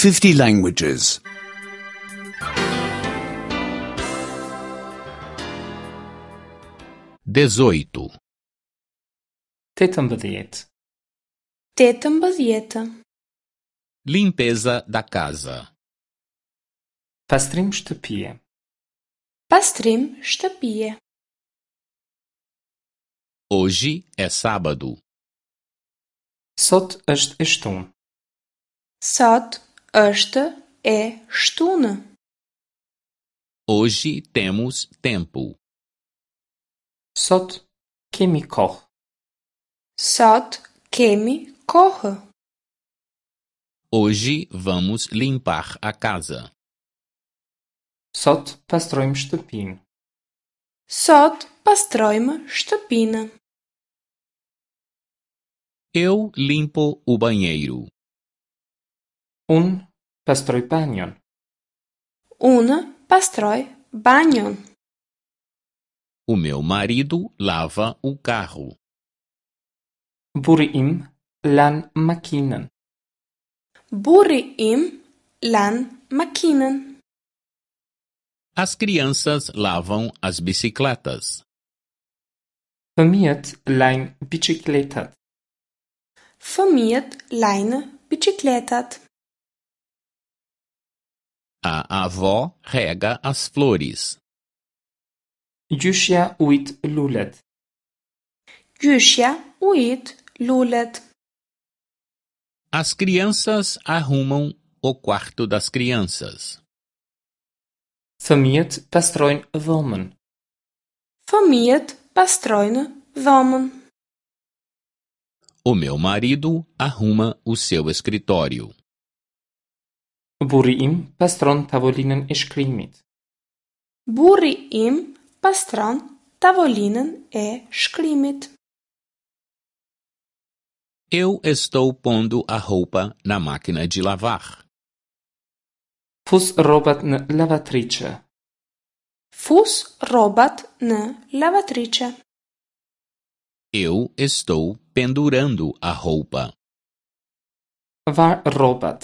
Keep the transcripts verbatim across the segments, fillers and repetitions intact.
fifty languages. dezoito, Tetëmbëdhjetë. Tetëmbëdhjetë. Limpeza da casa. Pastrim shtëpie. Pastrim shtëpie. Hoje é sábado. Sot është e shtunë. Sot është e shtunë. Hoje temos tempo. Sot kemi kohë. Sot kemi kohë. Hoje vamos limpar a casa. Sot pastrojmë shtëpinë. Sot pastrojmë shtëpinë. Eu limpo o banheiro. Unë pastroj banjon. Unë pastroj banjon. O meu marido lava o carro. Burri im lan makinën. Burri im lan makinën. As crianças lavam as bicicletas. Fëmijët lajnë biçikletat. Fëmijët lajnë biçikletat. A avó rega as flores. Gjyshja ujit lulet. Gjyshja ujit lulet. As crianças arrumam o quarto das crianças. Fëmijët pastrojnë dhomën. Fëmijët pastrojnë dhomën. O meu marido arruma o seu escritório. Burri im pastron tavolinën e shkrimit. Burri im pastron tavolinën e shkrimit. Eu estou pondo a roupa na máquina de lavar. Fus rrobat në lavatriçe. Fus rrobat në lavatriçe. Eu estou pendurando a roupa. Var rrobat.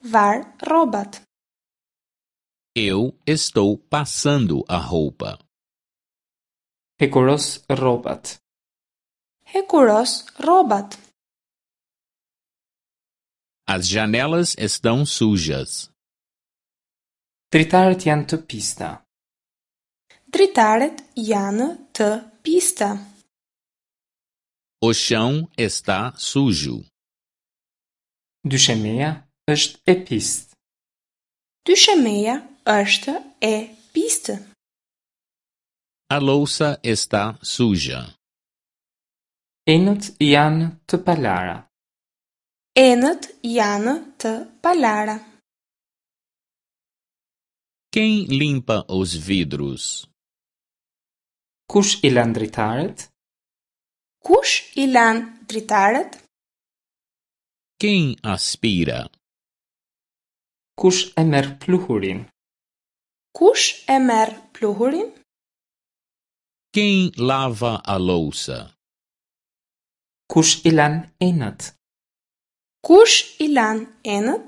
Var rrobat. Eu estou passando a roupa. Hekuros rrobat. Hekuros rrobat. As janelas estão sujas. Dritaret janë të pista. Dritaret janë të pista. O chão está sujo. Dyshemeja është e pistë. Dyshemeja është e pistë. A louça está suja. Enët janë të palara. Enët janë të palara. Quem limpa os vidros? Kush i lan dritaret? Kush i lan dritaret? Quem aspira? Kush e merr pluhurin? Kush e merr pluhurin? Quem lava a louça? Kush i lan enët? Kush i lan enët?